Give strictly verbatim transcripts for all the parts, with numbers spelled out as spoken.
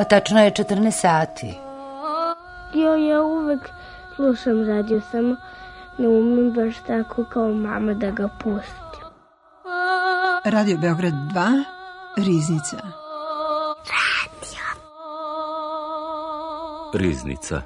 Tačno je četrnaest sati. Jo, ja uvek slušam radio, samo ne umem baš tako kao mama da ga pustim. Radio Beograd dva, Riznica. Radio. Riznica.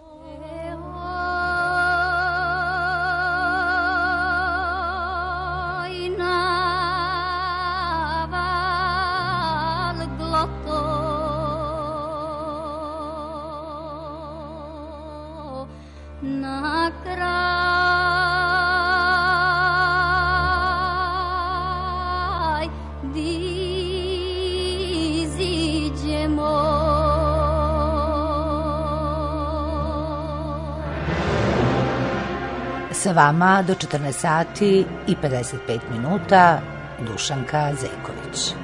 Sa vama do četrnaest sati i pedeset pet minuta Dušanka Zejković.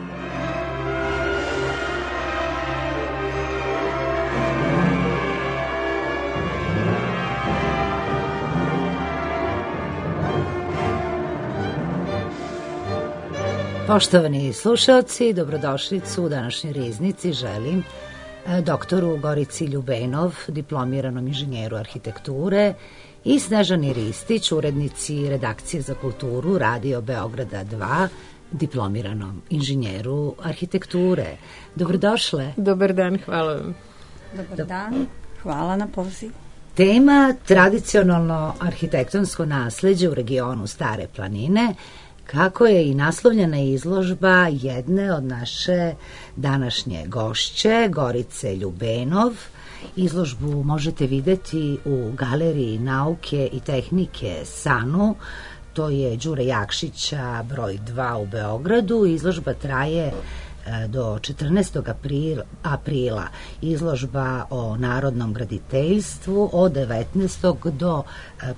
Poštovani slušalci, dobrodošlicu u današnjoj Riznici želim doktoru Gorici Ljubenov, diplomiranom inženjeru arhitekture, i Snežani Ristić, urednici redakcije za kulturu Radio Beograda dva, diplomiranom inženjeru arhitekture. Dobrodošle. Dobar dan, hvala vam. Dobar dan, hvala na pozivu. Tema tradicionalno arhitektonsko nasleđe u regionu Stare planine, kako je i naslovljena izložba jedne od naše današnje gošće, Gorice Ljubenov. Izložbu možete videti u Galeriji nauke i tehnike SANU, to je Đure Jakšića broj dva u Beogradu. Izložba traje do četrnaestog aprila. Izložba o narodnom graditeljstvu od devetnaestog do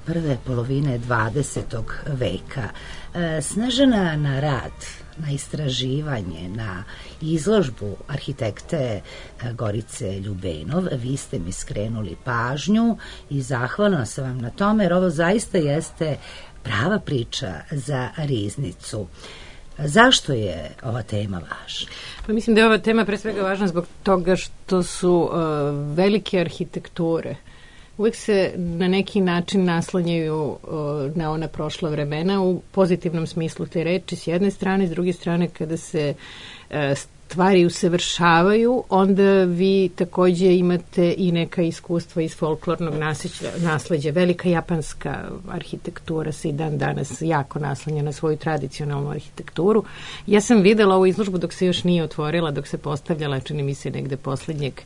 prve polovine dvadesetog veka. Snežana, na rad, na istraživanje, na izložbu arhitekte Gorice Ljubenov, vi ste mi skrenuli pažnju i zahvalna sam vam na tome, jer ovo zaista jeste prava priča za Riznicu. Zašto je ova tema važna? Pa mislim da je ova tema pre svega važna zbog toga što su uh, velike arhitekture uvijek se na neki način naslanjaju uh, na ona prošla vremena u pozitivnom smislu te reči s jedne strane, s druge strane kada se uh, stvari usavršavaju, onda vi takođe imate i neka iskustva iz folklornog nasleđa, nasleđa. Velika japanska arhitektura se i dan danas jako naslanja na svoju tradicionalnu arhitekturu. Ja sam videla ovu izložbu dok se još nije otvorila, dok se postavljala, čini mi se negde poslednjeg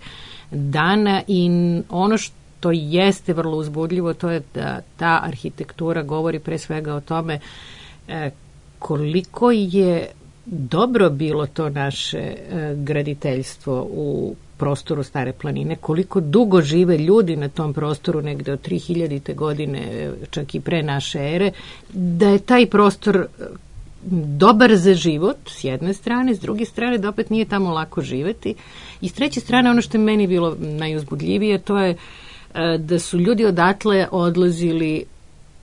dana, i ono što to jeste vrlo uzbudljivo, to je da ta arhitektura govori pre svega o tome e, koliko je dobro bilo to naše e, graditeljstvo u prostoru Stare planine, koliko dugo žive ljudi na tom prostoru, negde od tri hiljadite godine, čak i pre naše ere, da je taj prostor dobar za život s jedne strane, s druge strane da opet nije tamo lako živeti, i s treće strane ono što je meni bilo najuzbudljivije, to je da su ljudi odatle odlazili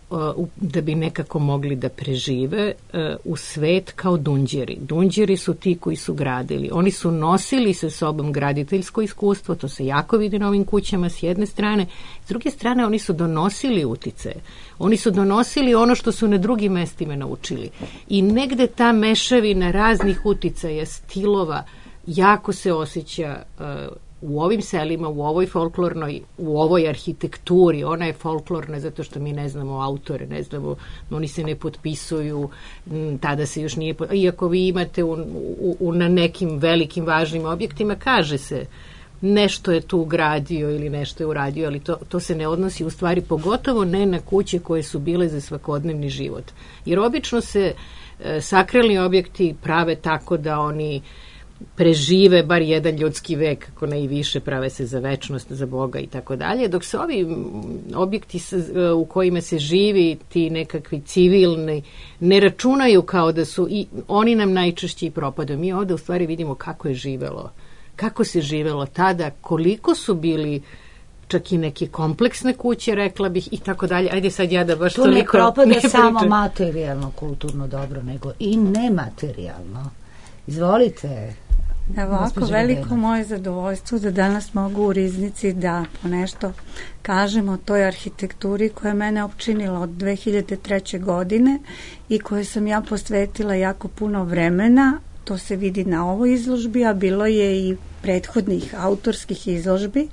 uh, da bi nekako mogli da prežive uh, u svet kao dunđeri. Dunđeri su ti koji su gradili. Oni su nosili sa sobom graditeljsko iskustvo, to se jako vidi na ovim kućama s jedne strane. S druge strane, oni su donosili utice. Oni su donosili ono što su na drugim mestima naučili. I negde ta mešavina raznih uticaja, stilova, jako se osjeća uh, u ovim selima, u ovoj folklornoj, u ovoj arhitekturi. Ona je folklorna zato što mi ne znamo autore, ne znamo, oni se ne potpisuju, tada se još nije, iako vi imate u, u, u, na nekim velikim važnim objektima, kaže se nešto je tu gradio ili nešto je uradio, ali to, to se ne odnosi u stvari, pogotovo ne na kuće koje su bile za svakodnevni život. Jer obično se e, sakralni objekti prave tako da oni prežive bar jedan ljudski vek, ako ne i više, prave se za večnost, za Boga i tako dalje, dok se ovi objekti u kojima se živi, ti nekakvi civilni, ne računaju kao da su, i oni nam najčešće i propadaju. Mi ovde u stvari vidimo kako je živelo, kako se živelo tada, koliko su bili čak i neke kompleksne kuće, rekla bih, i tako dalje. Ajde sad ja da baš tu toliko... Tu ne propada ne samo materijalno, kulturno dobro, nego i nematerijalno. Izvolite. Ovako, veliko moje zadovoljstvo da danas mogu u Riznici da ponešto kažem o toj arhitekturi koja je mene opčinila od dve hiljade treće. godine i koje sam ja posvetila jako puno vremena. To se vidi na ovoj izložbi, a bilo je i prethodnih autorskih izložbi.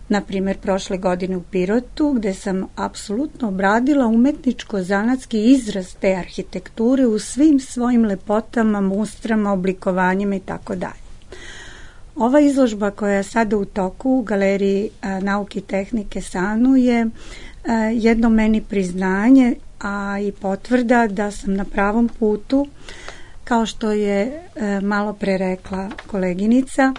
Na primjer, prošle godine u Pirotu, gde sam apsolutno obradila umetničko-zanatski izraz te arhitekture u svim svojim lepotama, mustrama, oblikovanjima i tako dalje. Ova izložba koja je sada u toku u Galeriji a, nauke i tehnike Sanu je a, jedno meni priznanje, a i potvrda da sam na pravom putu, kao što je e, malo pre rekla koleginica.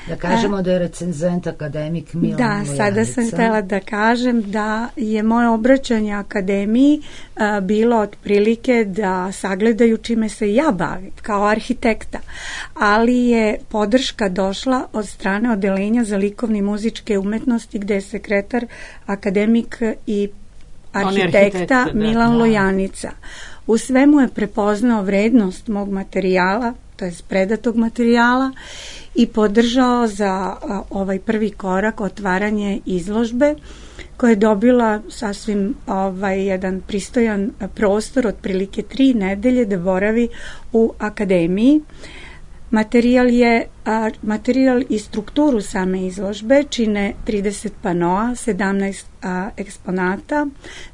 Da kažemo e, da je recenzent akademik Milan Da, Lojanica. Sada sam htjela da kažem da je moje obraćanje akademiji e, bilo otprilike da sagledaju čime se ja bavim kao arhitekta, ali je podrška došla od strane odelenja za likovne i muzičke umetnosti gde je sekretar akademik i arhitekta Milan da, Lojanica. U svemu je prepoznao vrednost mog materijala, to je predatog materijala, i podržao za a, ovaj prvi korak otvaranje izložbe koja je dobila sasvim ovaj, jedan pristojan prostor, otprilike tri nedelje da boravi u akademiji. Materijal je, a, materijal i strukturu same izložbe čine trideset panoa, sedamnaest a, eksponata,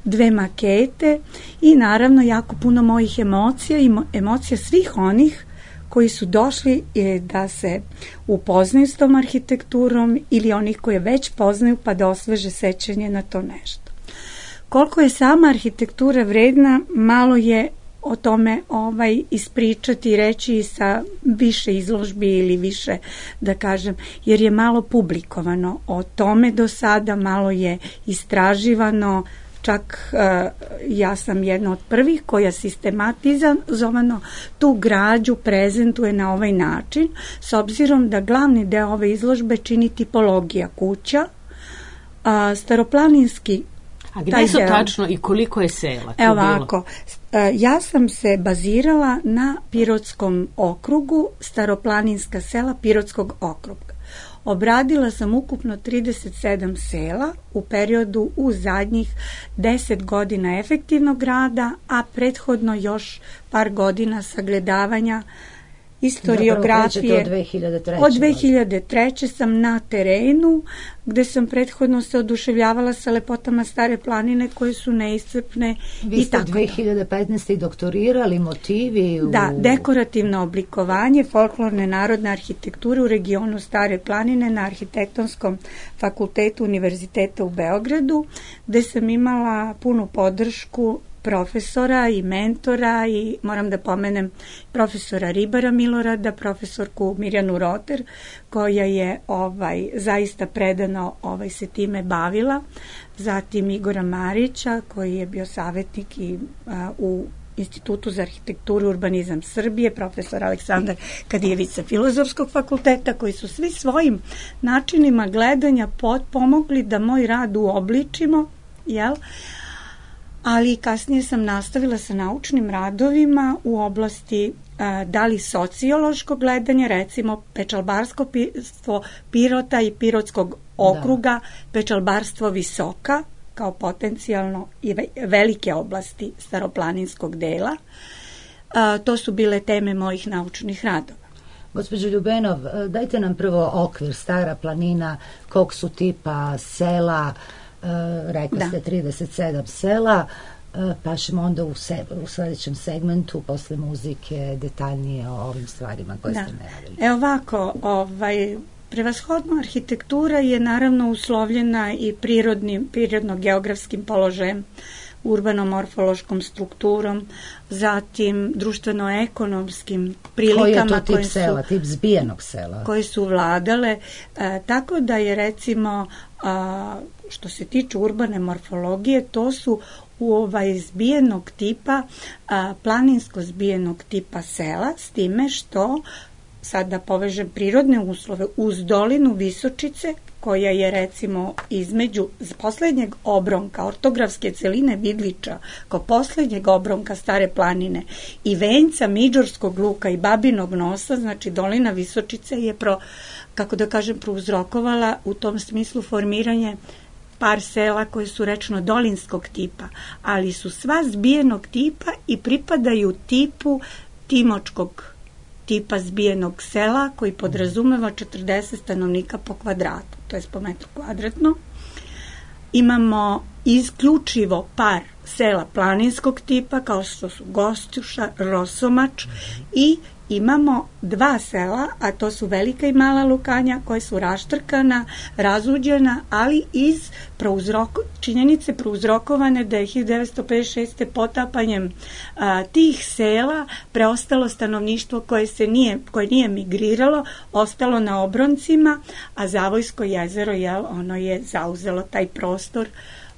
dve makete i naravno jako puno mojih emocija i mo, emocija svih onih koji su došli e, da se upoznaju s tom arhitekturom ili onih koje već poznaju pa da osveže sećanje na to nešto. Koliko je sama arhitektura vredna, malo je o tome ovaj ispričati i reći sa više izložbi ili više, da kažem, jer je malo publikovano o tome do sada, malo je istraživano, čak uh, ja sam jedna od prvih koja sistematizovano tu građu prezentuje na ovaj način, s obzirom da glavni deo ove izložbe čini tipologija kuća, uh, staroplaninski. A gdje su tačno i koliko je sela? Evo ovako, ja sam se bazirala na Pirotskom okrugu, staroplaninska sela Pirotskog okruga. Obradila sam ukupno trideset sedam sela u periodu u zadnjih deset godina efektivnog rada, a prethodno još par godina sagledavanja istoriografije. Od dve hiljade treće. Od dve hiljade treće sam na terenu, gde sam prethodno se oduševljavala sa lepotama Stare planine koje su neiscrpne. Vi ste dve hiljade petnaeste. i doktorirali motivi u... Da, dekorativno oblikovanje folklorne narodne arhitekture u regionu Stare planine na Arhitektonskom fakultetu Univerziteta u Beogradu, gde sam imala punu podršku profesora i mentora i moram da pomenem profesora Ribara Milorada, profesorku Mirjanu Roter, koja je ovaj zaista predano ovaj se time bavila, zatim Igora Marića koji je bio savjetnik i a, u Institutu za arhitekturu i urbanizam Srbije, profesor Aleksandar Kadijević sa Filozofskog fakulteta, koji su svi svojim načinima gledanja pomogli da moj rad uobličimo, jel? Ali kasnije sam nastavila sa naučnim radovima u oblasti a, da li sociološkog gledanja, recimo pečalbarsko pirstvo Pirota i Pirotskog okruga, da. Pečalbarstvo Visoka, kao potencijalno i velike oblasti staroplaninskog dela. A, to su bile teme mojih naučnih radova. Gospođo Ljubenov, dajte nam prvo okvir, Stara planina, kog su tipa sela, Uh, rekli da. ste trideset sedam sela, uh, pa ćemo onda u, se, u sljedećem segmentu posle muzike detaljnije o ovim stvarima koje da. ste najavili. Evo ovako, ovaj, prevashodno arhitektura je naravno uslovljena i prirodnim, prirodno-geografskim položajem, urbano-morfološkom strukturom, zatim društveno-ekonomskim prilikama. Koji je to tip sela, tip zbijenog sela? Koje su vladale, e, tako da je recimo, a, što se tiče urbane morfologije, to su u ovaj zbijenog tipa, a, planinsko zbijenog tipa sela, s time što sad da povežem prirodne uslove, uz dolinu Visočice, koja je recimo između poslednjeg obronka, ortografske celine Vidliča, kao poslednjeg obronka Stare planine i venca Midžorskog luka i Babinog nosa, znači dolina Visočice je pro, kako da kažem, prouzrokovala u tom smislu formiranje par sela koje su rečno dolinskog tipa, ali su sva zbijenog tipa i pripadaju tipu Timočkog tipa zbijenog sela koji podrazumeva četrdeset stanovnika po kvadratu, to je po metru kvadratno. Imamo isključivo par sela planinskog tipa kao što su Gostuša, Rosomač i imamo dva sela, a to su Velika i Mala Lukanja, koje su raštrkana, razuđena, ali iz prouzroko, činjenice prouzrokovane da je hiljadu devetsto pedeset šeste. potapanjem a, tih sela preostalo stanovništvo koje se nije, koje nije migriralo, ostalo na obroncima, a Zavojsko jezero, jel, ono je zauzelo taj prostor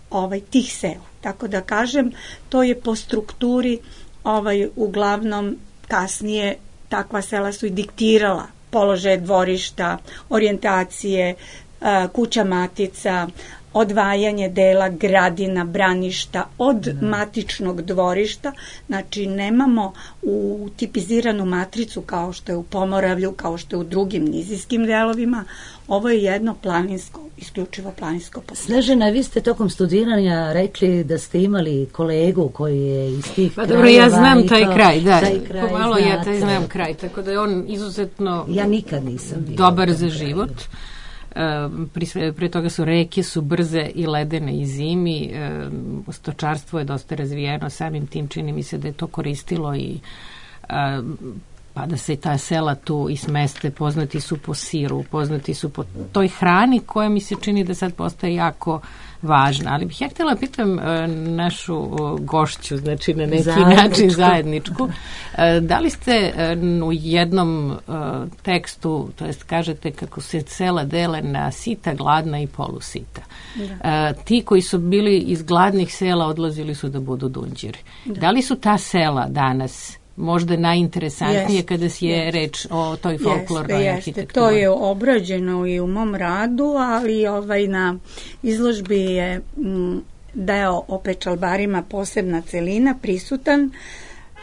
ovaj, tih sela. Tako da kažem, to je po strukturi ovaj, uglavnom kasnije takva sela su i diktirala položaje dvorišta, orijentacije, kuća matica, odvajanje dela gradina, braništa od da. matičnog dvorišta. Znači nemamo u tipiziranu matricu kao što je u Pomoravlju, kao što je u drugim nizijskim delovima. Ovo je jedno planinsko, isključivo planinsko područje. Snežana, vi ste tokom studiranja rekli da ste imali kolegu koji je iz tih pa, krajeva. Dobro, ja znam taj to, kraj, da. Taj kraj Pomalo znate. ja taj znam kraj, tako da je on izuzetno ja nikad nisam dobar za život. Pre, pre toga su reke su brze i ledene i zimi, stočarstvo je dosta razvijeno, samim tim čini mi se da je to koristilo i pa da se ta sela tu i smeste, poznati su po siru, poznati su po toj hrani koja mi se čini da sad postaje jako važna. Ali bih ja htjela pitam našu gošću, znači na neki zajedničku. način zajedničku, da li ste u jednom tekstu, to jest kažete kako se sela dele na sita, gladna i polusita. Da. Ti koji su bili iz gladnih sela odlazili su da budu dunđeri. Da, da li su ta sela danas možda najinteresantnije jeste, kada si je jeste. reč o toj folklornoj jeste, arhitekturi? Jeste, to je obrađeno i u mom radu, ali ovaj na izložbi je m, deo o pečalbarima posebna celina prisutan.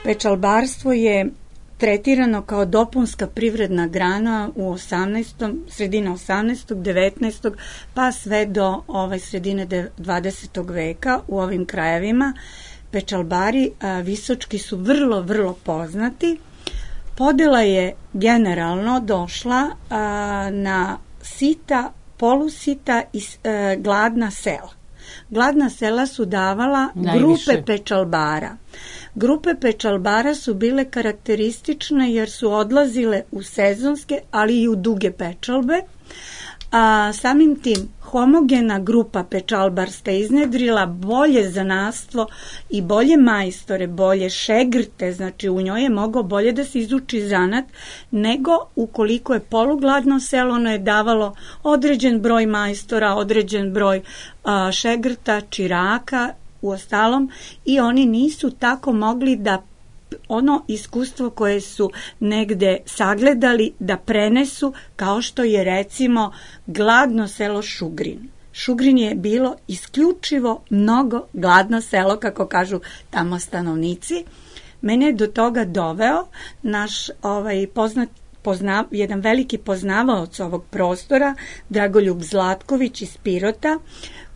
Pečalbarstvo je tretirano kao dopunska privredna grana u osamnaestom sredine osamnaestog, devetnaestog pa sve do ovaj sredine dvadesetog veka u ovim krajevima. Pečalbari a, visočki su vrlo, vrlo poznati. Podela je generalno došla a, na sita, polusita i a, gladna sela. Gladna sela su davala Najviše. grupe pečalbara. Grupe pečalbara su bile karakteristične jer su odlazile u sezonske, ali i u duge pečalbe. A samim tim homogena grupa pečalbarska iznedrila bolje zanatstvo i bolje majstore, bolje šegrte, znači u njoj je mogao bolje da se izuči zanat, nego ukoliko je polugladno selo, ono je davalo određen broj majstora, određen broj a, šegrta, čiraka, u ostalom, i oni nisu tako mogli da ono iskustvo koje su negde sagledali da prenesu, kao što je recimo gladno selo Šugrin. Šugrin je bilo isključivo mnogo gladno selo, kako kažu tamo stanovnici. Mene je do toga doveo naš ovaj poznat Pozna, jedan veliki poznavaoc ovog prostora, Dragoljub Zlatković iz Pirota,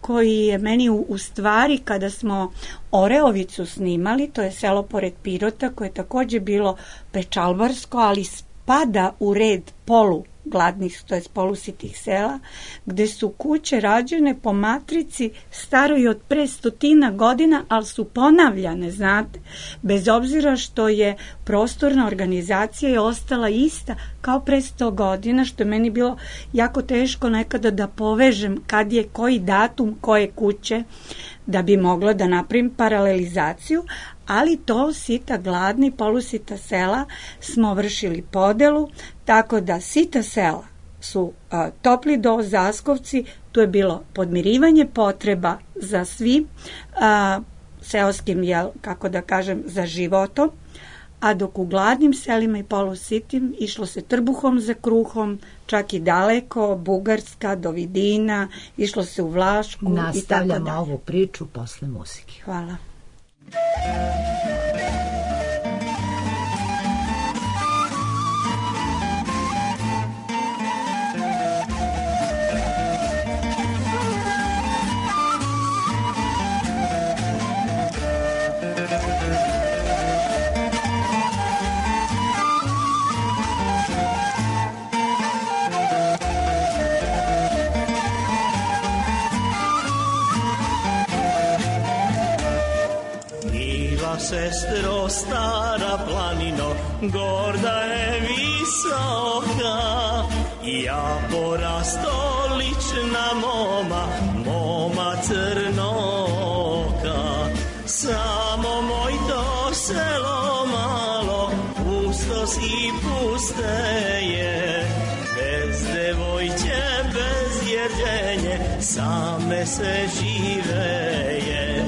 koji je meni u, u stvari, kada smo Oreovicu snimali, to je selo pored Pirota, koje je također bilo pečalbarsko, ali spada u red polu gladnih, to je polusitih sela, gde su kuće rađene po matrici staroj od pre stotina godina, ali su ponavljane, znate, bez obzira što je prostorna organizacija je ostala ista kao pre sto godina, što je meni bilo jako teško nekada da povežem kad je koji datum koje kuće, da bi mogla da napravim paralelizaciju, ali to sita gladni, polusita sela smo vršili podelu, tako da sita sela su a, Topli Do, Zaskovci, tu je bilo podmirivanje potreba za svim a, seoskim, jel, kako da kažem, za životom, a dok u gladnim selima i polusitim išlo se trbuhom za kruhom, čak i daleko, Bugarska, do Vidina, išlo se u Vlašku i tako dalje. Nastavljamo ovu priču posle muzike. Hvala. Sestro stara planino, gorda je visoka, ja porasto lična moma, moma crnoka. Samo moj to selo malo, pustos i puste je, bez devojče, bez jerđenje, same se živeje.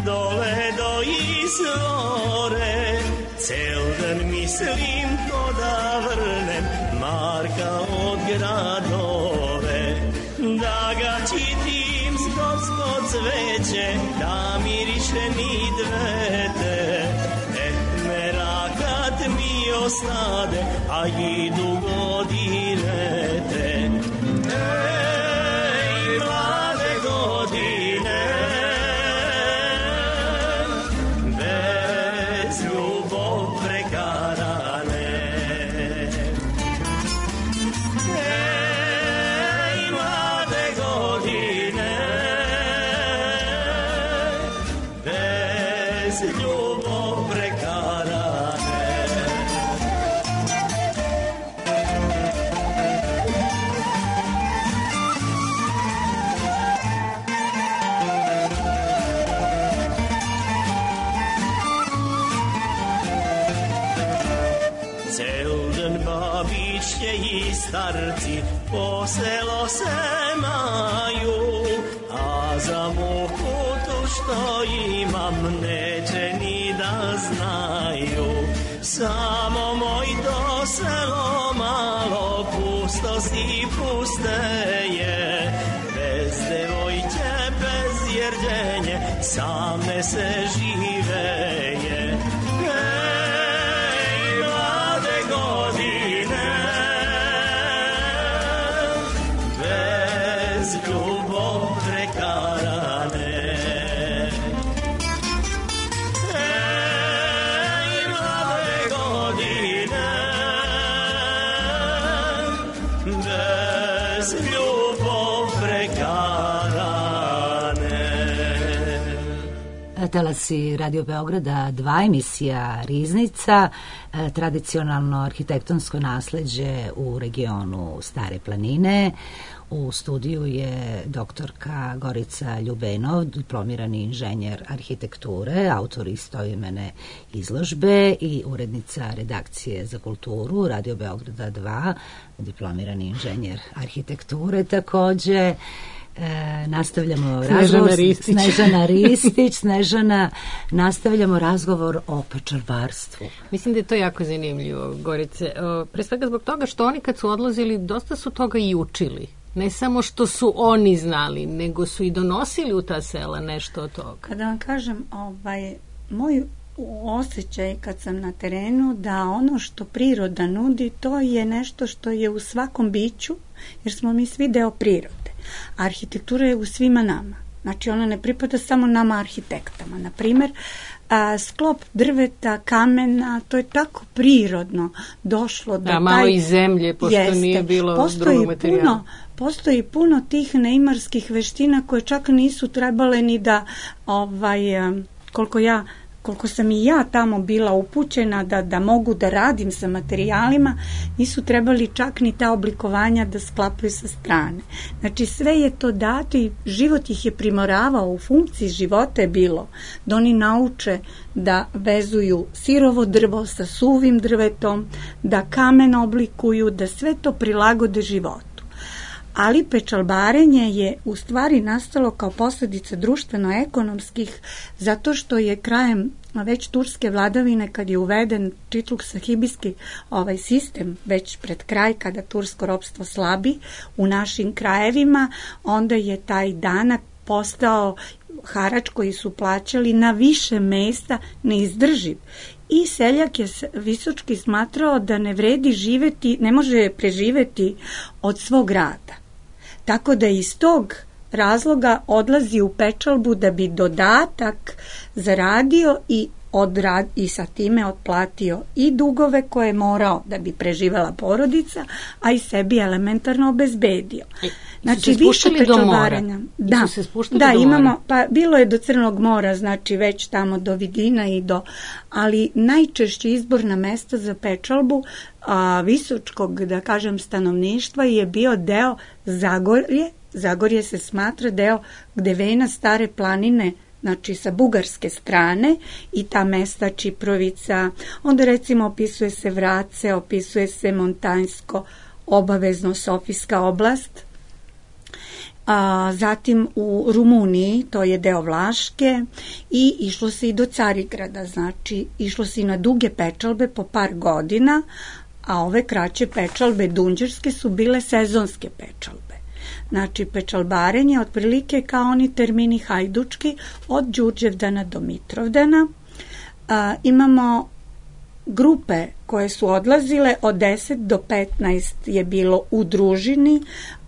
Dole do izvore, cel dan mislim ko da vrnem Marka od gradove, da ga čitim s gospod cveće, da miriše ni dvete, et merakat mi ostade, a idu godine te. Ej, mlade godine, starci po selo se maju, a za muku tu što imam neće ni da znaju. Samo moj to selo malo pustosti puste je, bez devojče, bez jerđenje, same se žive je. Ej, mlade godine, ljubav prekarane. Ej, mlade godine, bez ljubav prekarane. Talasi Radio Beograda dva, emisija Riznica, tradicionalno arhitektonsko nasleđe u regionu Stare planine. U studiju je doktorka Gorica Ljubenov, diplomirani inženjer arhitekture, autor istoimene izložbe i urednica redakcije za kulturu Radio Beograda dva, diplomirani inženjer arhitekture takođe. E, nastavljamo Snežana razgovor Ristić. Snežana Ristić Snežana, nastavljamo razgovor o pečarvarstvu. Mislim da je to jako zanimljivo, Gorice. O, pre svega zbog toga što oni kad su odlazili dosta su toga i učili. Ne samo što su oni znali, nego su i donosili u ta sela nešto od toga. Kada vam kažem, ovaj, moj osjećaj kad sam na terenu da ono što priroda nudi, to je nešto što je u svakom biću, jer smo mi svi deo prirode. Arhitektura je u svima nama. Znači ona ne pripada samo nama arhitektama. Na primjer, a, sklop drveta, kamena, to je tako prirodno došlo da, da malo taj, i zemlje, pošto jeste, nije bilo postoji drugog materijala. Puno, postoji puno tih neimarskih veština koje čak nisu trebale ni da, ovaj, koliko ja koliko sam i ja tamo bila upućena da, da mogu da radim sa materijalima, nisu trebali čak ni ta oblikovanja da sklapaju sa strane. Znači sve je to dato i život ih je primoravao, u funkciji života je bilo da oni nauče da vezuju sirovo drvo sa suvim drvetom, da kamen oblikuju, da sve to prilagode životu. Ali pečalbarenje je u stvari nastalo kao posljedica društveno-ekonomskih, zato što je krajem već turske vladavine, kad je uveden čitluk sahibijski ovaj sistem, već pred kraj, kada tursko ropstvo slabi u našim krajevima, onda je taj danak postao harač koji su plaćali na više mesta neizdrživ. I seljak je Visočki smatrao da ne vredi živeti, ne može preživeti od svog rada. Tako da iz tog razloga odlazi u pečalbu da bi dodatak zaradio i, odrad, i sa time otplatio i dugove koje je morao da bi preživela porodica, a i sebi elementarno obezbedio. Znači više pečalbarenja. Da, da imamo, pa bilo je do Crnog mora, znači već tamo do Vidina i do, ali najčešće izborna mesta za pečalbu a, visočkog, da kažem, stanovništva je bio deo Zagorje. Zagorje se smatra deo gde vena Stare planine, znači sa bugarske strane, i ta mesta Čiprovica, onda recimo opisuje se Vrace, opisuje se Montanjsko, obavezno Sofijska oblast. A, zatim u Rumuniji, to je deo Vlaške, i išlo se i do Carigrada, znači išlo se i na duge pečalbe po par godina, a ove kraće pečalbe dunđerske su bile sezonske pečalbe. Znači pečalbarenje otprilike kao oni termini hajdučki od Đurđevdana do Mitrovdana. A, imamo grupe koje su odlazile od deset do petnaest je bilo u družini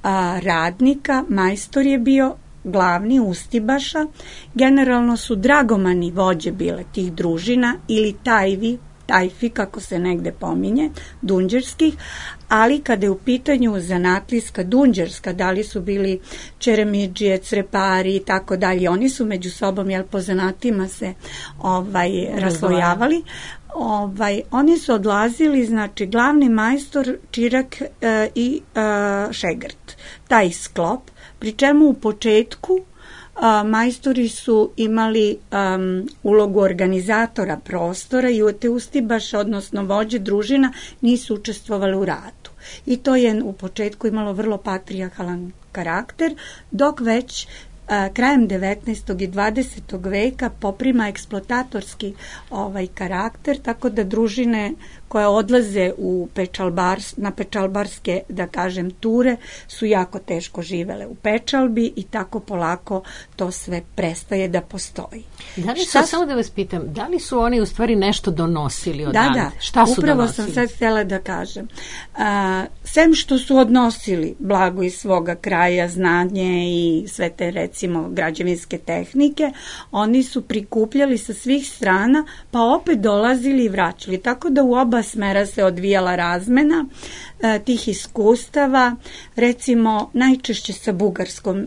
a, radnika, majstor je bio glavni ustibaša, generalno su dragomani vođe bile tih družina ili tajvi, tajfi kako se negde pominje, dunđerskih, ali kada je u pitanju zanatlijska dunđerska, da li su bili čeremidžije, crepari i tako dalje, oni su među sobom, jel po zanatima se ovaj, raslojavali, ovaj, oni su odlazili, znači glavni majstor, čirak e, i e, šegrt, taj sklop, pri čemu u početku A, majstori su imali um, ulogu organizatora prostora i te ustibaše, odnosno vođe družina, nisu učestvovali u radu. I to je u početku imalo vrlo patrijarhalan karakter, dok već a, krajem devetnaestog i dvadesetog veka poprima eksploatatorski ovaj karakter, tako da družine koje odlaze u pečalbars, na pečalbarske, da kažem, ture, su jako teško živele u pečalbi i tako polako to sve prestaje da postoji. Da li su, Šta... samo da vas pitam, da li su oni u stvari nešto donosili odavde? Da, da, Šta su upravo donosili? sam sad htjela da kažem. A, sem što su odnosili blago iz svoga kraja, znanje i sve te, recimo, građevinske tehnike, oni su prikupljali sa svih strana, pa opet dolazili i vraćali. Tako da u oba smera se odvijala razmena e, tih iskustava, recimo najčešće sa Bugarskom. E,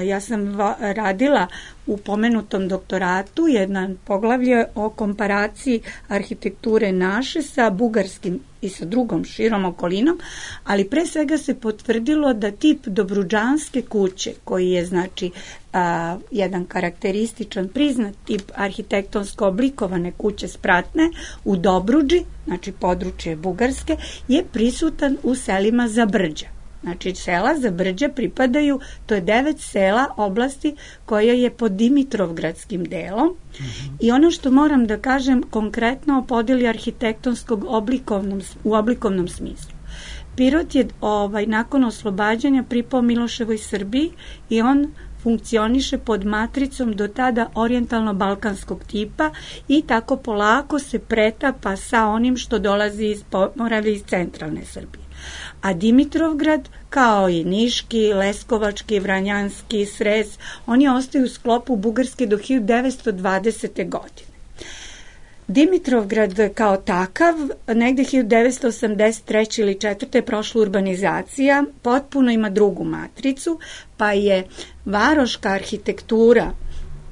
ja sam va, radila u pomenutom doktoratu jedan poglavlje o komparaciji arhitekture naše sa bugarskim i sa drugom širom okolinom, ali pre svega se potvrdilo da tip Dobrudžanske kuće, koji je znači a, jedan karakterističan priznat tip arhitektonsko oblikovane kuće spratne u Dobrudži, znači područje Bugarske, je prisutan u selima Zabrđa. Znači sela Zabrđa pripadaju, to je devet sela oblasti koja je pod Dimitrovgradskim delom. Mm-hmm. I ono što moram da kažem konkretno o podeli arhitektonskog oblikovnom, u oblikovnom smislu. Pirot je ovaj, nakon oslobađanja pripao Miloševoj Srbiji i on funkcioniše pod matricom do tada orijentalno-balkanskog tipa i tako polako se pretapa sa onim što dolazi iz Pomoravlja iz centralne Srbije. A Dimitrovgrad, kao i Niški, Leskovački, Vranjanski, Srez, oni ostaju u sklopu Bugarske do hiljadu devetsto dvadesete. godine. Dimitrovgrad kao takav, negde hiljadu devetsto osamdeset treće ili četvrte je prošla urbanizacija, potpuno ima drugu matricu, pa je varoška arhitektura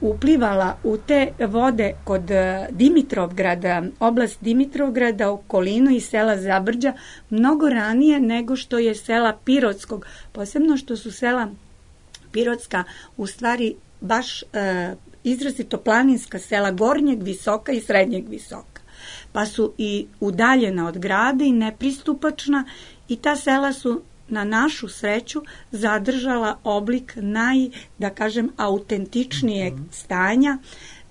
uplivala u te vode kod Dimitrovgrada, oblast Dimitrovgrada, okolinu i sela Zabrđa mnogo ranije nego što je sela Pirotskog, posebno što su sela Pirotska u stvari baš e, izrazito planinska sela Gornjeg Visoka i Srednjeg Visoka, pa su i udaljena od grada i nepristupačna i ta sela su na našu sreću zadržala oblik naj, da kažem, autentičnijeg stanja.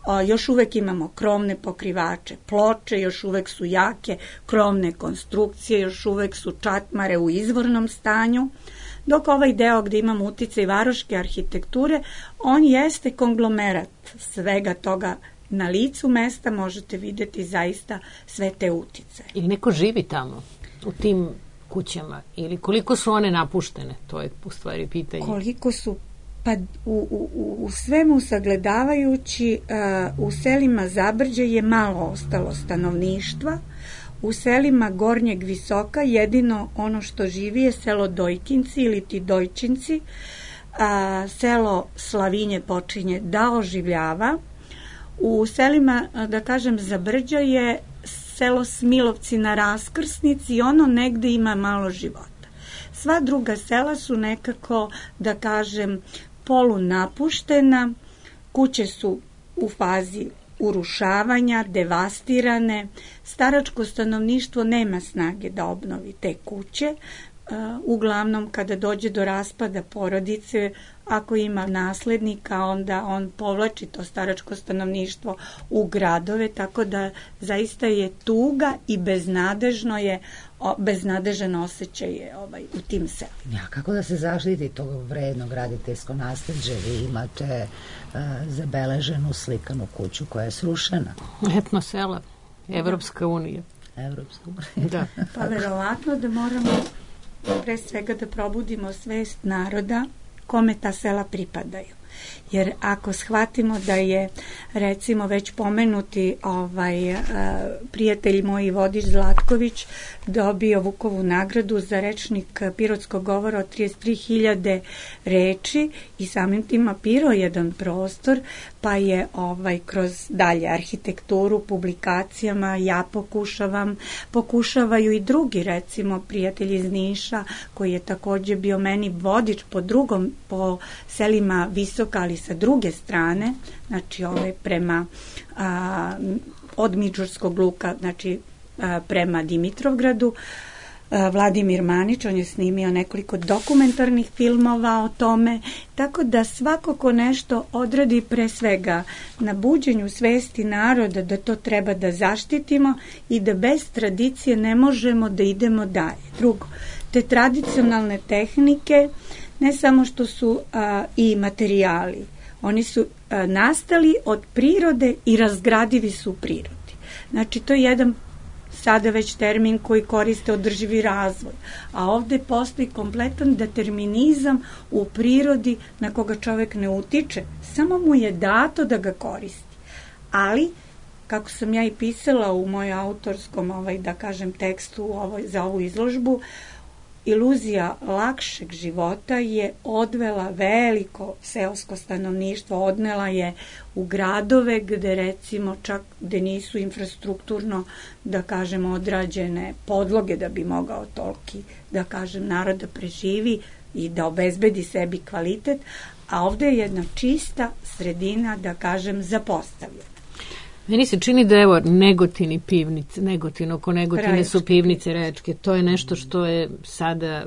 O, još uvek imamo krovne pokrivače ploče, još uvek su jake krovne konstrukcije, još uvek su čatmare u izvornom stanju, dok ovaj deo gde imamo uticaj varoške arhitekture, on jeste konglomerat svega toga. Na licu mesta možete videti zaista sve te uticaje. Ili neko živi tamo u tim kućama ili koliko su one napuštene, to je u stvari pitanje. Koliko su, pa u, u, u svemu sagledavajući, uh, u selima Zabrđe je malo ostalo stanovništva, u selima Gornjeg Visoka jedino ono što živi je selo Dojkinci ili ti Dojčinci, a, selo Slavinje počinje da oživljava, u selima, da kažem, Zabrđa je selo Smilovci na raskrsnici i ono negde ima malo života. Sva druga sela su nekako, da kažem, polunapuštena, kuće su u fazi urušavanja, devastirane, staračko stanovništvo nema snage da obnovi te kuće, uglavnom kada dođe do raspada porodice, ako ima naslednika, onda on povlači to staračko stanovništvo u gradove, tako da zaista je tuga i beznadežno je, beznadežan osjećaj je ovaj, u tim selima. Ja, kako da se zaštiti tog vredno graditeljsko nasleđe? Vi imate uh, zabeleženu slikanu kuću koja je srušena. Etno sela, Evropska unija. Evropska unija. Da. Pa verovatno da moramo pre svega da probudimo svest naroda kome ta sela pripadaju. Jer ako shvatimo da je, recimo, već pomenuti ovaj, prijatelj moj Vodič Zlatković dobio Vukovu nagradu za rečnik pirotskog govora od trideset tri hiljade reči i samim tim mapirao jedan prostor, pa je ovaj, kroz dalje arhitekturu, publikacijama, ja pokušavam, pokušavaju i drugi, recimo, prijatelj iz Niša, koji je takođe bio meni vodič po drugom, po selima Visoka, ali sa druge strane, znači ove prema a, od Midžurskog luka, znači a, prema Dimitrovgradu, a, Vladimir Manić, on je snimio nekoliko dokumentarnih filmova o tome, tako da svako ko nešto odradi pre svega na buđenju svesti naroda da to treba da zaštitimo i da bez tradicije ne možemo da idemo dalje. Drugo, te tradicionalne tehnike ne samo što su a, i materijali, oni su a, nastali od prirode i razgradivi su u prirodi. Znači, to je jedan sada već termin koji koriste održivi razvoj, a ovde postoji kompletan determinizam u prirodi na koga čovek ne utiče, samo mu je dato da ga koristi. Ali, kako sam ja i pisala u mojoj autorskom, ovaj, da kažem, tekstu ovoj, za ovu izložbu, iluzija lakšeg života je odvela veliko seosko stanovništvo, odnela je u gradove gde recimo čak gde nisu infrastrukturno, da kažem, odrađene podloge da bi mogao toliki, da kažem, narod da preživi i da obezbedi sebi kvalitet, a ovde je jedna čista sredina, da kažem, zapostavljena. Meni se čini da evo Negotini pivnice, Negotin, oko Negotine Rečke. Su pivnice Rečke. To je nešto što je sada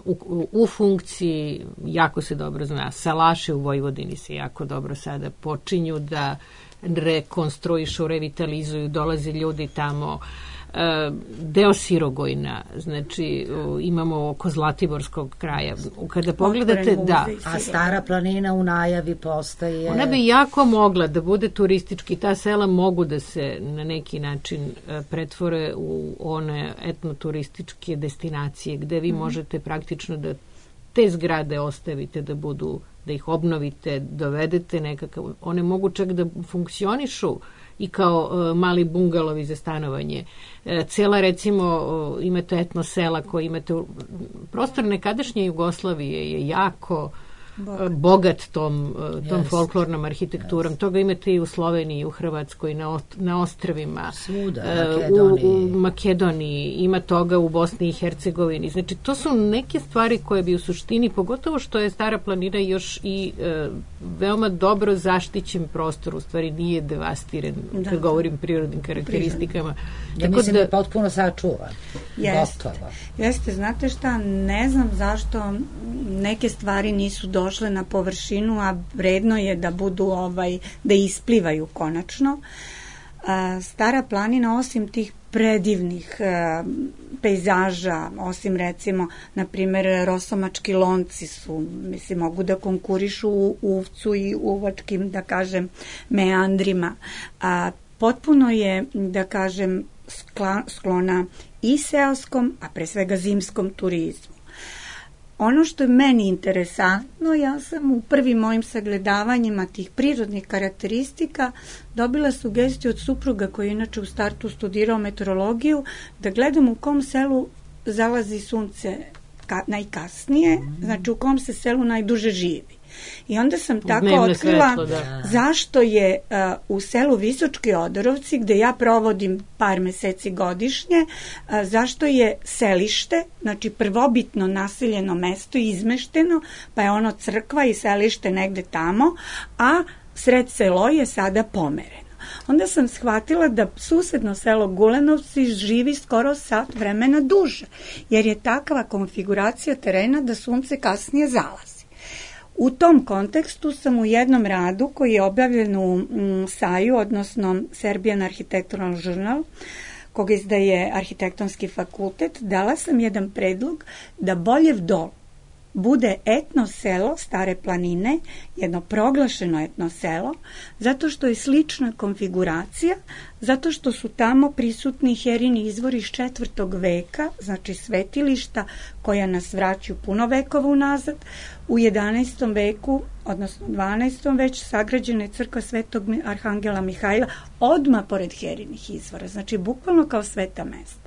u, u, u funkciji, jako se dobro zna. Salaše u Vojvodini se jako dobro sada počinju da rekonstruišu, revitalizuju, dolaze ljudi tamo. deo Sirogojna, znači imamo oko Zlatiborskog kraja. Kada pogledate, da. A Stara planina u najavi postaje... Ona bi jako mogla da bude turistički, ta sela mogu da se na neki način pretvore u one etnoturističke destinacije gde vi možete praktično da te zgrade ostavite da budu, da ih obnovite, dovedete nekakav, one mogu čak da funkcionišu i kao uh, mali bungalovi za stanovanje. E, cela, recimo, uh, imate etno sela koje imate, prostor nekadašnje Jugoslavije je jako bogat, bogat tom, uh, tom yes. folklornom arhitekturom. Yes. Toga imate i u Sloveniji, i u Hrvatskoj, na, na ostrvima. Svuda, Makedoniji. U, u Makedoniji, ima toga u Bosni i Hercegovini. Znači, to su neke stvari koje bi u suštini, pogotovo što je Stara planina još i e, veoma dobro zaštićen prostor, u stvari nije devastiran, da. Kad govorim prirodnim karakteristikama. Ja Tako mislim da je potpuno sačuvan. Jeste. Jeste, znate šta, ne znam zašto neke stvari nisu došle na površinu, a vredno je da budu, ovaj, da isplivaju konačno. Stara planina, osim tih predivnih pejzaža, osim recimo, na primjer, Rosomački lonci su, mislim, mogu da konkurišu u Uvcu i uvačkim, da kažem, meandrima. A potpuno je, da kažem, sklona i seoskom, a pre svega zimskom turizmu. Ono što je meni interesantno, ja sam u prvim mojim sagledavanjima tih prirodnih karakteristika dobila sugestiju od supruga koji je inače u startu studirao meteorologiju, da gledam u kom selu zalazi sunce ka, najkasnije, znači u kom se selu najduže živi. I onda sam tako Dnevno otkrila svetlo, da. zašto je uh, u selu Visočki Odorovci, gde ja provodim par meseci godišnje, uh, zašto je selište, znači prvobitno naseljeno mesto, izmešteno, pa je ono crkva i selište negde tamo, a sred selo je sada pomereno. Onda sam shvatila da susedno selo Gulenovci živi skoro sat vremena duže, jer je takva konfiguracija terena da sunce kasnije zalazi. U tom kontekstu sam u jednom radu koji je objavljen u mm, Saju, odnosno Serbian Architectural Journal, koga izdaje Arhitektonski fakultet, dala sam jedan predlog da Boljev Dol bude etno selo Stare planine, jedno proglašeno etno selo, zato što je slična konfiguracija, zato što su tamo prisutni herini izvori iz četvrtog veka, znači svetilišta koja nas vraćaju puno vekova unazad. U jedanaestom veku, odnosno dvanaestom već sagrađena je crkva Svetog Arhangela Mihajla odmah pored herinih izvora, znači bukvalno kao sveta mesta.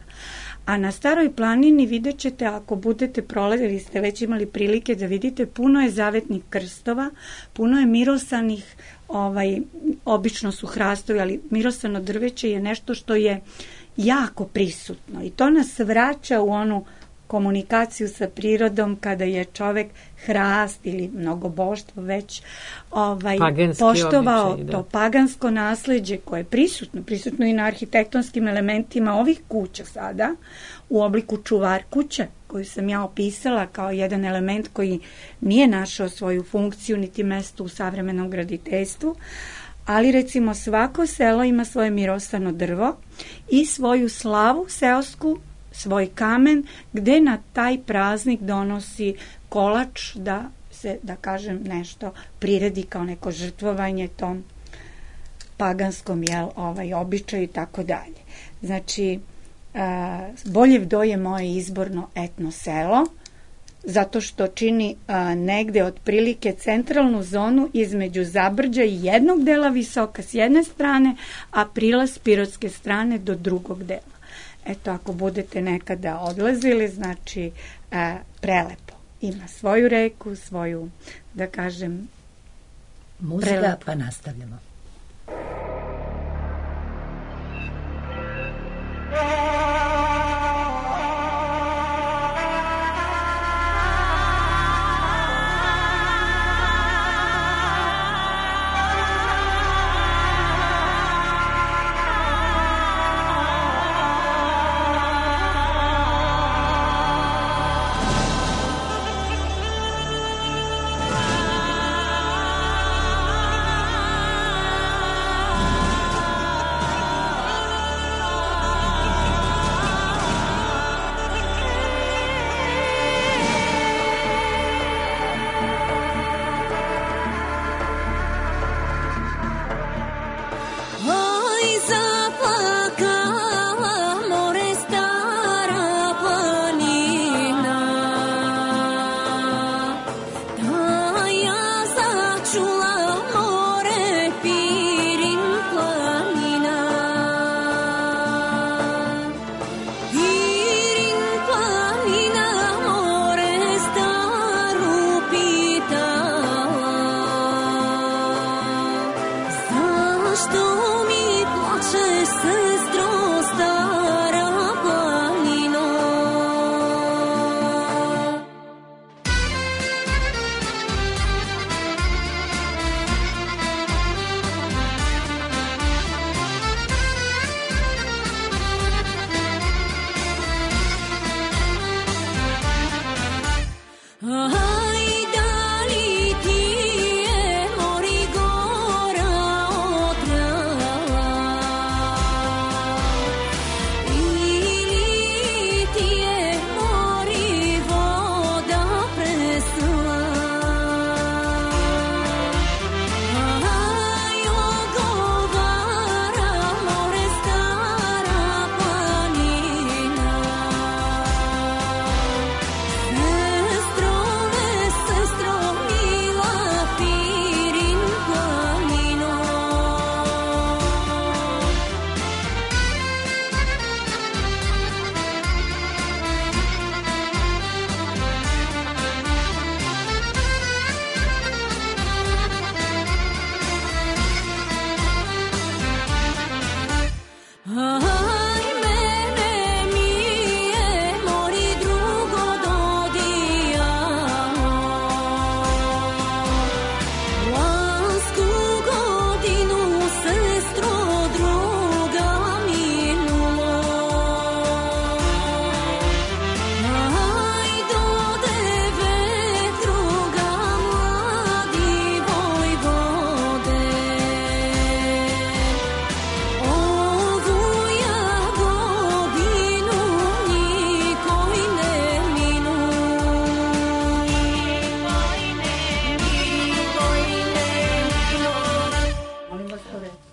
A na Staroj planini vidjet ćete, ako budete prolazili, ste već imali prilike da vidite, puno je zavetnih krstova, puno je mirosanih, ovaj, obično su hrastovi, ali mirosano drveće je nešto što je jako prisutno i to nas vraća u onu komunikaciju sa prirodom kada je čovek hrast ili mnogoboštvo već ovaj, poštovao običaj, to pagansko nasleđe koje je prisutno, prisutno i na arhitektonskim elementima ovih kuća sada, u obliku čuvar kuće, koju sam ja opisala kao jedan element koji nije našao svoju funkciju niti mesto u savremenom graditeljstvu, ali recimo svako selo ima svoje mirosano drvo i svoju slavu seosku, svoj kamen, gde na taj praznik donosi kolač da se, da kažem, nešto priredi kao neko žrtvovanje tom paganskom, jel, ovaj, običaju i tako dalje. Znači, uh, Boljev Do je moje izborno etno selo, zato što čini uh, negde otprilike centralnu zonu između Zabrđa i jednog dela Visoka s jedne strane, a prilaz Pirotske strane do drugog dela. Eto, ako budete nekada odlazili, znači e, prelepo. Ima svoju reku, svoju, da kažem, muzika, prelepo. Pa nastavljamo.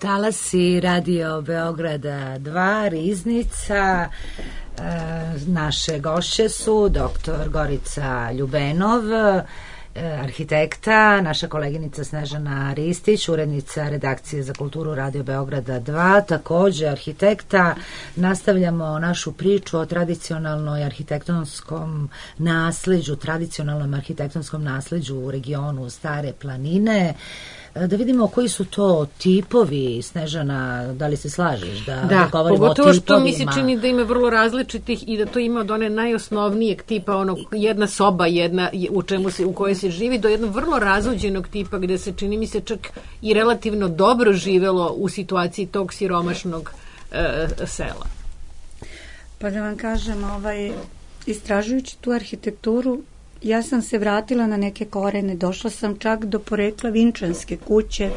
Talasi Radio Beograda dva, Riznica. E, naše gošće su doktor Gorica Ljubenov, arhitekta, naša koleginica Snežana Ristić, urednica redakcije za kulturu Radio Beograda dva, takođe arhitekta. Nastavljamo našu priču o tradicionalnoj arhitektonskom nasleđu, tradicionalnom arhitektonskom nasleđu u regionu Stare planine. Da vidimo koji su to tipovi, Snežana, da li se slažeš da, da govorimo o tipovima? Da, pogotovo što mi se čini da ima vrlo različitih i da to ima od one najosnovnijeg tipa, ono, jedna soba, jedna u čemu se, u kojoj se živi, do jednog vrlo razuđenog tipa gde se čini mi se čak i relativno dobro živelo u situaciji tog siromašnog e, sela. Pa da vam kažem, ovaj, istražujući tu arhitekturu, ja sam se vratila na neke korene, došla sam čak do porekla Vinčanske kuće,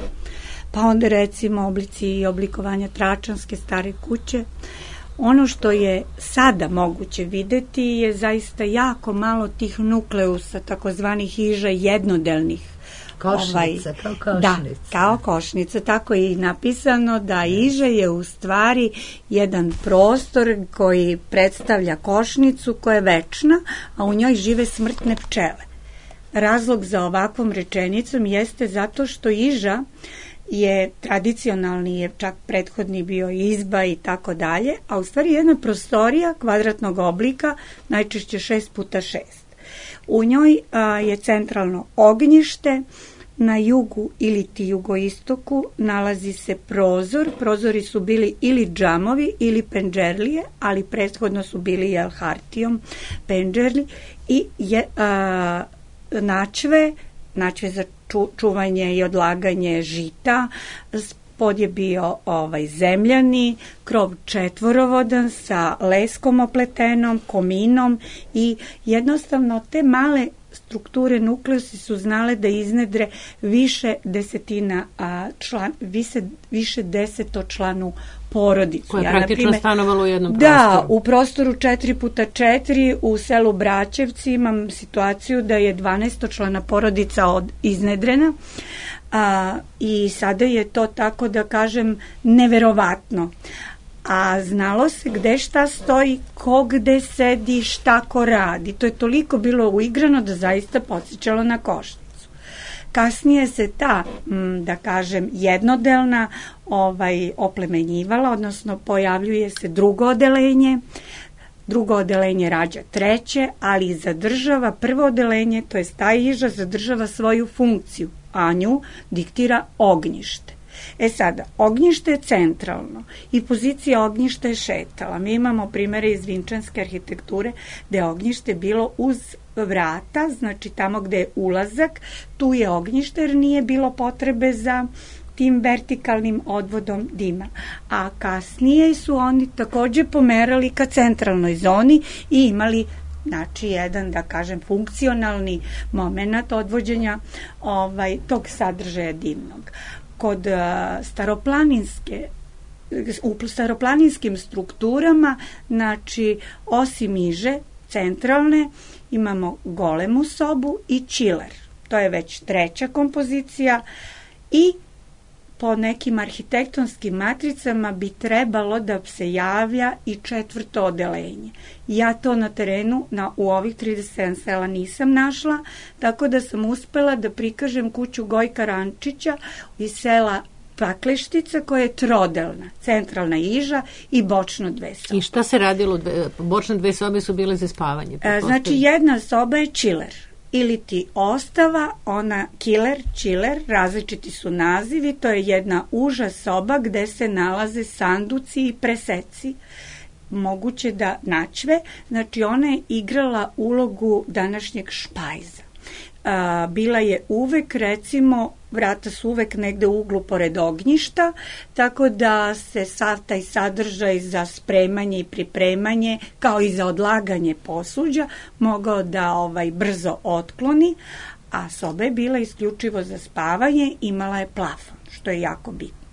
pa onda recimo oblici i oblikovanja Tračanske stare kuće. Ono što je sada moguće videti je zaista jako malo tih nukleusa, takozvanih hiža jednodelnih. Košnica, ovaj, kao košnica. Da, kao košnica, tako je i napisano da iža je u stvari jedan prostor koji predstavlja košnicu koja je večna, a u njoj žive smrtne pčele. Razlog za ovakvom rečenicom jeste zato što iža je tradicionalni, je čak prethodni bio izba i tako dalje, a u stvari jedna prostorija kvadratnog oblika, najčešće šest puta šest. U njoj a, je centralno ognjište, na jugu ili ti jugoistoku nalazi se prozor. Prozori su bili ili džamovi ili pendžerlije, ali prethodno su bili jel hartijom pendžerli i je, a, načve, načve za ču, čuvanje i odlaganje žita. Pod je bio ovaj zemljani, krov četvorovodan sa leskom opletenom, kominom i jednostavno te male strukture nukleusi su znale da iznedre više desetina a, član, više, više desetočlanu porodicu. Koja je ja, praktično naprimer, stanovala u jednom prostoru. Da, u prostoru četiri puta četiri u selu Braćevci imam situaciju da je dvanaestočlana porodica od, iznedrena. A, i sada je to, tako da kažem, neverovatno. A znalo se gde šta stoji, ko gde sedi, šta ko radi. To je toliko bilo uigrano da zaista podsjećalo na košnicu. Kasnije se ta, da kažem, jednodelna ovaj, oplemenjivala, odnosno pojavljuje se drugo odelenje. Drugo odelenje rađa treće, ali zadržava prvo odelenje, to je ta iža zadržava svoju funkciju, a nju diktira ognjište. E sada, ognjište je centralno i pozicija ognjišta je šetala. Mi imamo primere iz vinčanske arhitekture gde je ognjište bilo uz vrata, znači tamo gde je ulazak, tu je ognjište jer nije bilo potrebe za tim vertikalnim odvodom dima. A kasnije su oni takođe pomerali ka centralnoj zoni i imali znači jedan, da kažem, funkcionalni moment odvođenja ovaj, tog sadržaja dimnog. Kod uh, staroplaninske u staroplaninskim strukturama, znači osim iže centralne imamo golemu sobu i čiler. To je već treća kompozicija i po nekim arhitektonskim matricama bi trebalo da se javlja i četvrto odelenje. Ja to na terenu na, u ovih trideset sedam sela nisam našla, tako da sam uspela da prikažem kuću Gojka Rančića iz sela Pakleštica koja je trodelna, centralna iža i bočno dve sobe. I šta se radilo? Dve, bočne dve sobe su bile za spavanje? E, znači jedna soba je čiler. Ili ti ostava, ona kiler, čiler, različiti su nazivi, to je jedna uža soba gde se nalaze sanduci i preseci, moguće da načve, znači ona je igrala ulogu današnjeg špajza. A, bila je uvek, recimo, vrata su uvek negde u uglu pored ognjišta, tako da se sav taj sadržaj za spremanje i pripremanje, kao i za odlaganje posuđa, mogao da ovaj brzo otkloni, a soba je bila isključivo za spavanje, imala je plafon, što je jako bitno.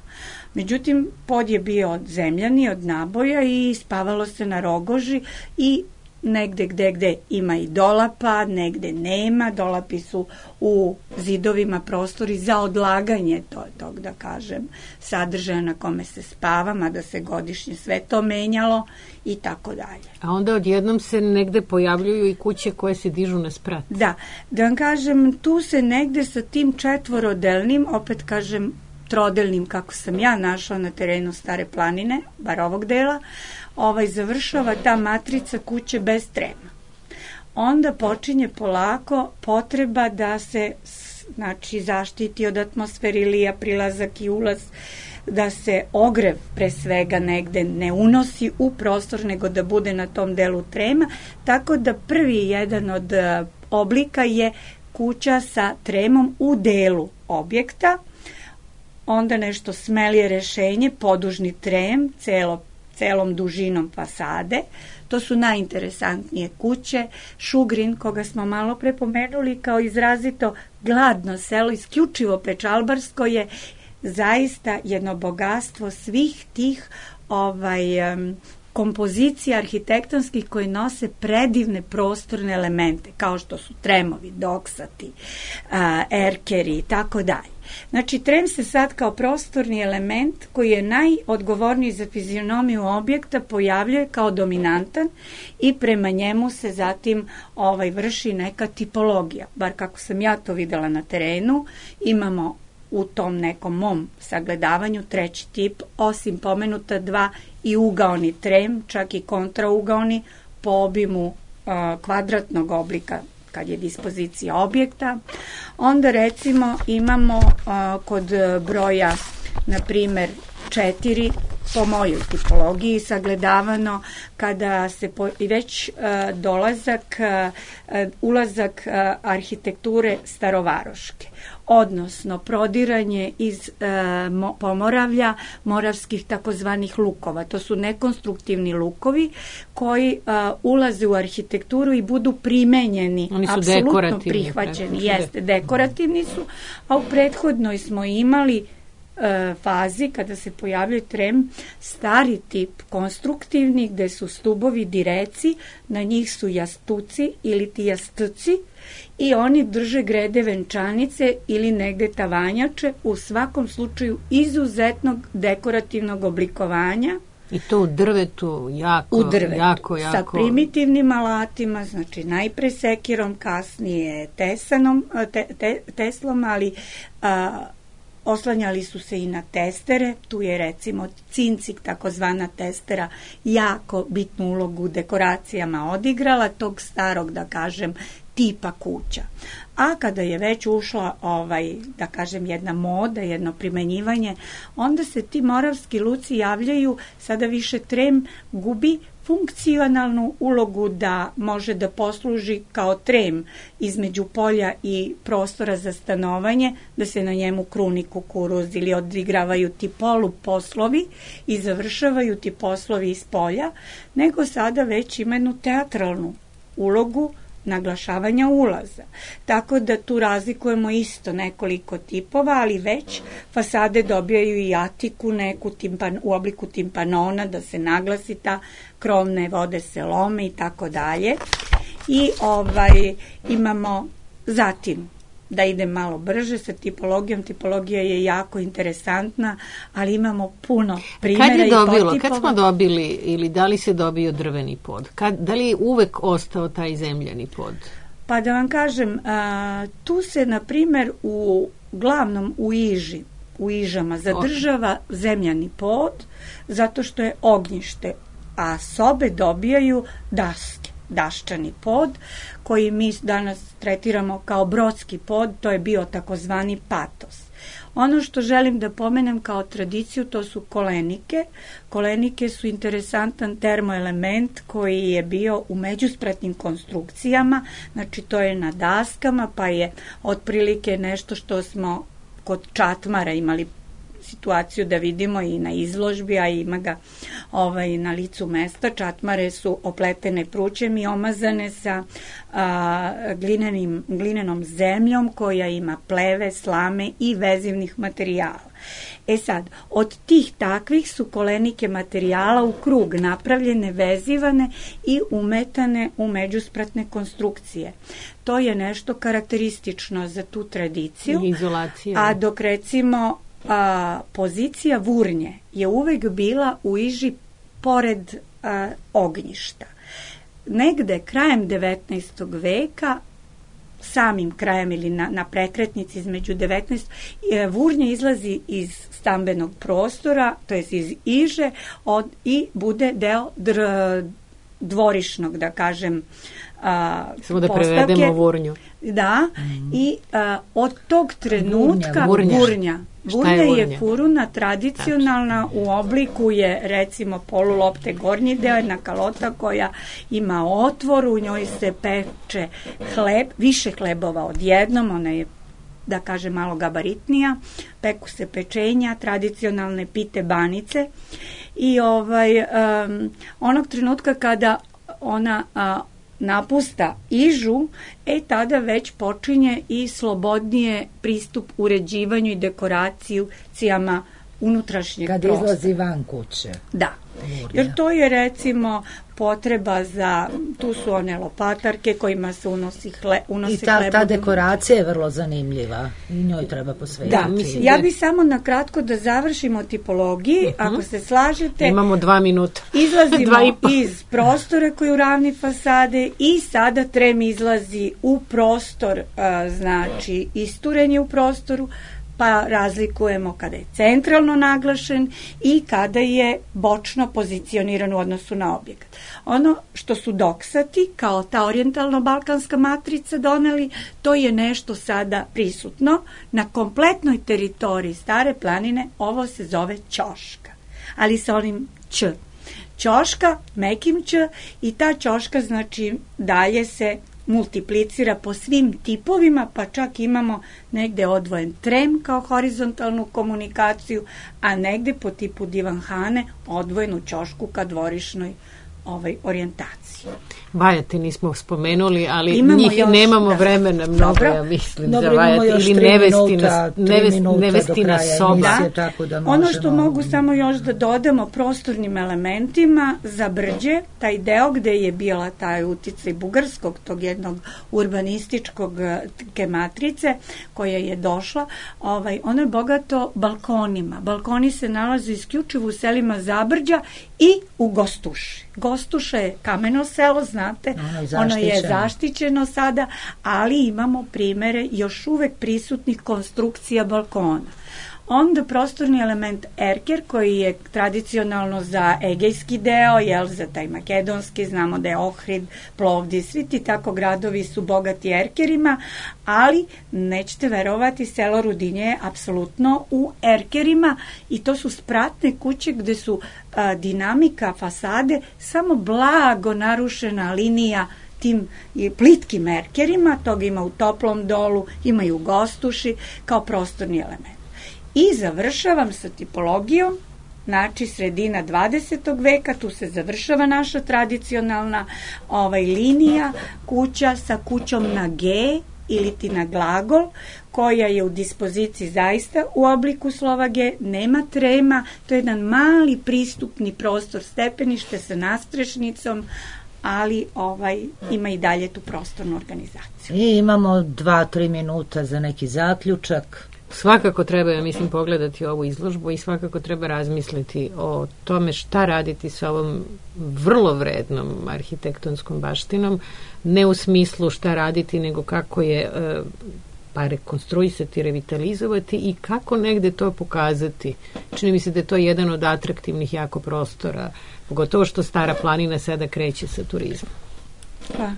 Međutim, pod je bio od zemljani, od naboja i spavalo se na rogoži i negde gde gde ima i dolapa, negde nema, dolapi su u zidovima prostori za odlaganje to, tog, da kažem, sadržaja na kome se spava, mada se godišnje sve to menjalo i tako dalje. A onda odjednom se negde pojavljuju i kuće koje se dižu na sprat. Da, da vam kažem, tu se negde sa tim četvorodelnim, opet kažem trodelnim, kako sam ja našla na terenu Stare planine, bar ovog dela, ovaj završava ta matrica kuće bez trema. Onda počinje polako potreba da se, znači, zaštiti od atmosferilija, prilazak i ulaz, da se ogrev pre svega negde ne unosi u prostor, nego da bude na tom delu trema, tako da prvi jedan od oblika je kuća sa tremom u delu objekta. Onda nešto smelije rešenje, podužni trem, celo, celom dužinom fasade. To su najinteresantnije kuće. Šugrin, koga smo malo pre pomenuli kao izrazito gladno selo, isključivo pečalbarsko, je zaista jedno bogatstvo svih tih ovaj, um, kompozicija arhitektonskih koji nose predivne prostorne elemente, kao što su tremovi, doksati, uh, erkeri i tako dalje. Znači, trem se sad kao prostorni element koji je najodgovorniji za fizionomiju objekta pojavljuje kao dominantan i prema njemu se zatim ovaj, vrši neka tipologija. Bar kako sam ja to videla na terenu, imamo u tom nekom mom sagledavanju treći tip, osim pomenuta dva i ugaoni trem, čak i kontraugaoni po obimu uh, kvadratnog oblika kad je dispozicija objekta. Onda recimo imamo uh, kod broja, na primer, četiri, po mojoj tipologiji sagledavano, kada se po, već uh, dolazak, uh, ulazak uh, arhitekture starovaroške, odnosno prodiranje iz e, mo, Pomoravlja, moravskih takozvanih lukova. To su nekonstruktivni lukovi koji e, ulaze u arhitектuru i budu primenjeni, apsolutno prihvaćeni. Jeste, dekorativni su, a u prethodnoj smo imali e, fazi, kada se pojavljuje trem, stari tip konstruktivni, gde su stubovi direci, na njih su jastuci ili ti jastuci, i oni drže grede venčanice ili negde tavanjače, u svakom slučaju izuzetnog dekorativnog oblikovanja. I to u drvetu, jako, u drvetu, jako, jako. Sa primitivnim alatima, znači najpre sekirom, kasnije tesanom, te, te, teslom, ali a, oslanjali su se i na testere. Tu je recimo cincik, takozvana testera, jako bitnu ulogu u dekoracijama odigrala, tog starog, da kažem, tipa kuća. A kada je već ušla, ovaj, da kažem, jedna moda, jedno primenjivanje, onda se ti moravski luci javljaju, sada više trem gubi funkcionalnu ulogu da može da posluži kao trem između polja i prostora za stanovanje, da se na njemu kruni kukuruz ili odigravaju ti poluposlovi i završavaju ti poslovi iz polja, nego sada već ima jednu teatralnu ulogu naglašavanja ulaza. Tako da tu razlikujemo isto nekoliko tipova, ali već fasade dobijaju i atiku neku timpan, u obliku timpanona, da se naglasi ta krovne vode se lome i tako dalje. I ovaj imamo zatim, da idem malo brže sa tipologijom, tipologija je jako interesantna, ali imamo puno primjera kad je dobilo, i potipova. Kad smo dobili ili da li se dobio drveni pod? Kad, da li je uvek ostao taj zemljani pod? Pa da vam kažem, a, tu se na primjer u glavnom u Iži, u Ižama zadržava zemljani pod zato što je ognjište, a sobe dobijaju daske, daščani pod, koji mi danas tretiramo kao brodski pod, to je bio takozvani patos. Ono što želim da pomenem kao tradiciju, to su kolenike. Kolenike su interesantan termoelement koji je bio u međuspratnim konstrukcijama, znači to je na daskama, pa je otprilike nešto što smo kod čatmara imali situaciju da vidimo i na izložbi, a ima ga ovaj, na licu mesta. Čatmare su opletene prućem i omazane sa a, glinenim, glinenom zemljom koja ima pleve, slame i vezivnih materijala. E sad, od tih takvih su kolenike materijala u krug napravljene, vezivane i umetane u međuspratne konstrukcije. To je nešto karakteristično za tu tradiciju. Izolacija. A dok recimo a, pozicija vurnje je uvek bila u Iži pored a, ognjišta. Negde krajem devetnaestog veka, samim krajem ili na, na prekretnici između devetnaestog vurnje izlazi iz stambenog prostora, to jest iz Iže od, i bude deo dr, dvorišnog, da kažem, a, samo da postavke. prevedemo vurnju. Da, mm. i a, od tog trenutka vurnja, vurnja, vurnja je, je furuna tradicionalna, u obliku je recimo polulopte gornji deo, jedna kalota koja ima otvor, u njoj se peče hleb, više hlebova odjednom, ona je, da kaže, malo gabaritnija, peku se pečenja, tradicionalne pite banice i ovaj, um, onog trenutka kada ona a, napusta Ižu, e tada već počinje i slobodnije pristup uređivanju i dekoracijama unutrašnjeg kad prostora. Kad izlazi van kuće. Da, jer to je recimo potreba za, tu su one lopatarke kojima se unosi, hle, unosi I ta, hleb. ta dekoracija je vrlo zanimljiva i njoj treba posvetiti. Da, mislim, ja bih samo na kratko da završimo o tipologiji, uh-huh. ako se slažete. Imamo dva minuta. Izlazimo iz prostora koji je u ravni fasade i sada trem izlazi u prostor, a, znači isturenje u prostoru, pa razlikujemo kada je centralno naglašen i kada je bočno pozicioniran u odnosu na objekat. Ono što su doksati, kao ta orijentalno-balkanska matrica doneli, to je nešto sada prisutno. Na kompletnoj teritoriji Stare planine ovo se zove ćoška, ali sa onim ć. Ćoška, mekim ć, i ta ćoška znači dalje se multiplicira po svim tipovima, pa čak imamo negde odvojen trem kao horizontalnu komunikaciju, a negde po tipu divanhane odvojenu ćošku ka dvorišnoj ovaj, orijentaciji. Vajati nismo spomenuli, ali imamo njih još, nemamo da. vremena mnogo, Dobro. ja mislim, Dobro, za Vajati ili nevestina, nevest, nevestina soba. Da. Tako da ono što mogu samo još da dodamo prostornim elementima za Brđe, taj deo gde je bila taj uticaj bugarskog, tog jednog urbanističkog ke matrice koja je došla, ovaj, ono je bogato balkonima. Balkoni se nalaze isključivo u selima Zabrđa i u Gostuši. Gostuša je kameno selo, znate, ono, ono je zaštićeno sada, ali imamo primere još uvek prisutnih konstrukcija balkona. Onda prostorni element erker, koji je tradicionalno za egejski deo, jel, za taj makedonski, znamo da je Ohrid, Plovdiv, svi ti tako gradovi su bogati erkerima, ali nećete verovati, selo Rudinje je apsolutno u erkerima i to su spratne kuće gde su a, dinamika fasade samo blago narušena linija tim plitkim erkerima, toga ima u Toplom Dolu, ima i u Gostuši kao prostorni element. I završavam sa tipologijom, znači sredina dvadesetog veka, tu se završava naša tradicionalna ovaj, linija, kuća sa kućom na G ili ti na glagol, koja je u dispoziciji zaista u obliku slova G, nema trema, to je jedan mali pristupni prostor stepenište sa nastrešnicom, ali ovaj ima i dalje tu prostornu organizaciju. I imamo dva, tri minuta za neki zaključak. Svakako treba, ja mislim, pogledati ovu izložbu i svakako treba razmisliti o tome šta raditi sa ovom vrlo vrednom arhitektonskom baštinom, ne u smislu šta raditi, nego kako je pa rekonstruisati, revitalizovati i kako negde to pokazati. Čini mi se da je to jedan od atraktivnih jako prostora, pogotovo što Stara planina sada kreće sa turizmom. Pa.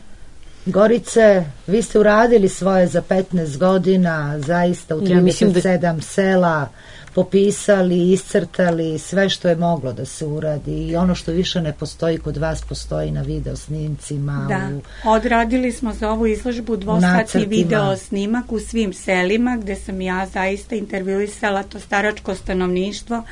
Gorice, vi ste uradili svoje za petnaest godina, zaista u Ja mislim trideset sedam sela, popisali, iscrtali sve što je moglo da se uradi i ono što više ne postoji kod vas postoji na video snimcima. Da, u, odradili smo za ovu izložbu dvosatni nacrtima. video snimak u svim selima gde sam ja zaista intervjuisala to staračko stanovništvo.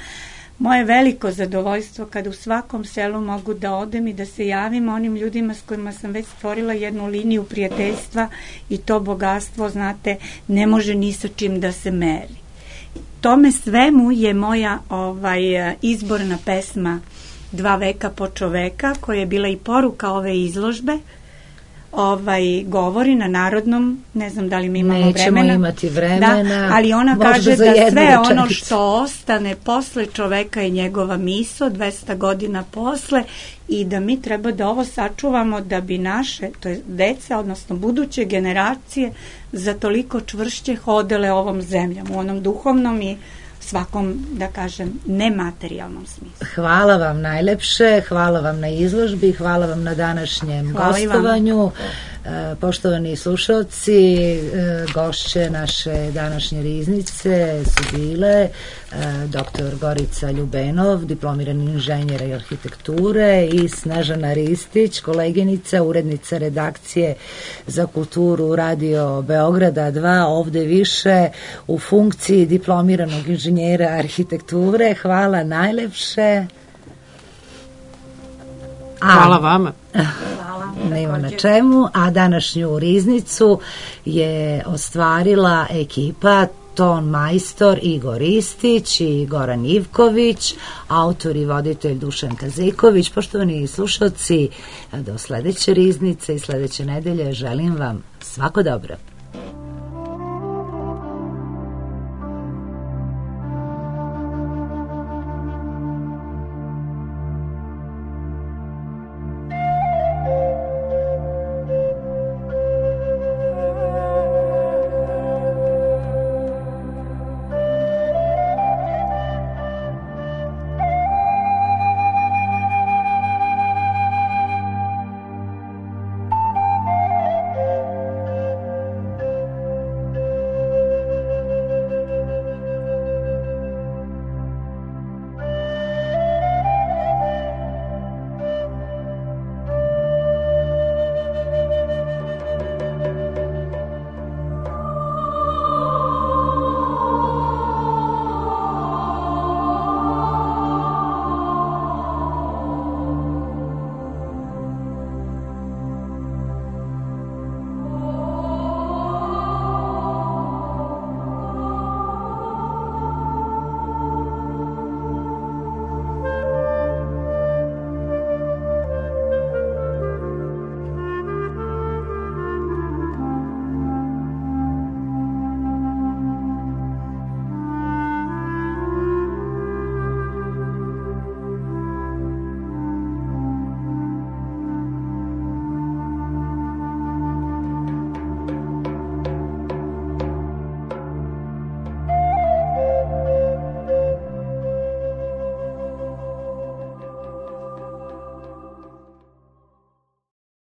Moje veliko zadovoljstvo kada u svakom selu mogu da odem i da se javim onim ljudima s kojima sam već stvorila jednu liniju prijateljstva i to bogatstvo, znate, ne može ni sa čim da se meri. Tome svemu je moja ovaj, izborna pesma Dva veka po čoveka, koja je bila i poruka ove izložbe, ovaj, govori na narodnom, ne znam da li mi imamo Nećemo vremena. Nećemo imati vremena. Da, ali ona Možda kaže za da jednu sve rečenicu. ono što ostane posle čoveka je njegova miso, dvesta godina posle, i da mi treba da ovo sačuvamo da bi naše, to je deca, odnosno buduće generacije, za toliko čvršće hodele ovom zemljom, u onom duhovnom i svakom, da kažem, nematerijalnom smislu. Hvala vam najlepše, hvala vam na izložbi, hvala vam na današnjem Hvala gostovanju. E, poštovani slušalci, e, gošće naše današnje riznice su bile e, doktor Gorica Ljubenov, diplomirani inženjer arhitekture, i Snežana Ristić, koleginica, urednica redakcije za kulturu Radio Beograda dva, ovde više u funkciji diplomiranog inženjera arhitekture. Hvala najlepše. Hvala vama. Nema na čemu, a današnju riznicu je ostvarila ekipa ton majstor Igor Ristić i Goran Ivković, autor i voditelj Dušan Kaziković. Poštovani slušalci, do sledeće riznice i sledeće nedelje želim vam svako dobro.